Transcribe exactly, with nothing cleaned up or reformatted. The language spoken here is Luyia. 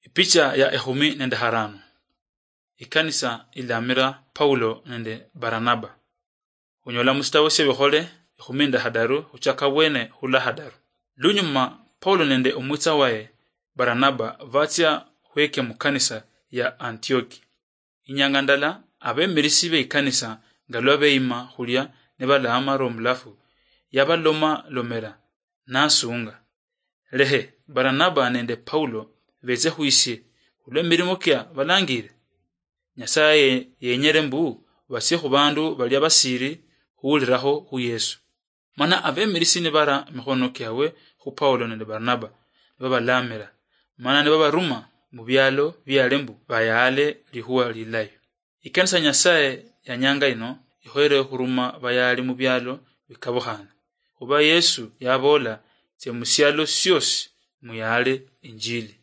Ipicha ya ekhumi nende harano. Ikanisa ilamira Paulo nende Baranaba. Khunyola musitabo siebikhole ekhumi nende hadaru khuchaka bwene khula hadaru. Lunyuma Paulo nende omwitsa waye Baranaba batsia khweke mukanisa ya Antioki. Inyanga ndala abemirisi beikanisa nga lwa beyima khulia nibalaamara omulafu, yabalomalomera nasunga. Lehe Baranaba nende Paulo betse khwisie khulwa emirimo kia balangire. Nyasaye yenyere mbu batsie khubandu balia basiri khuwulirakho khu Yesu. Mana abemirisi nibara mikhono kiabwe khu Paulo nende Baranaba, nibabalamira, mana nibabaruma mubialo biale mbu bayaale likhuwa lilayi. Ikanisa Nyasaye yanyanga ino ikhoyere khuruma bayaali mubialo bikabukhane. Khuba Yesu yaboola, tsia musialo siosi muyaale injili.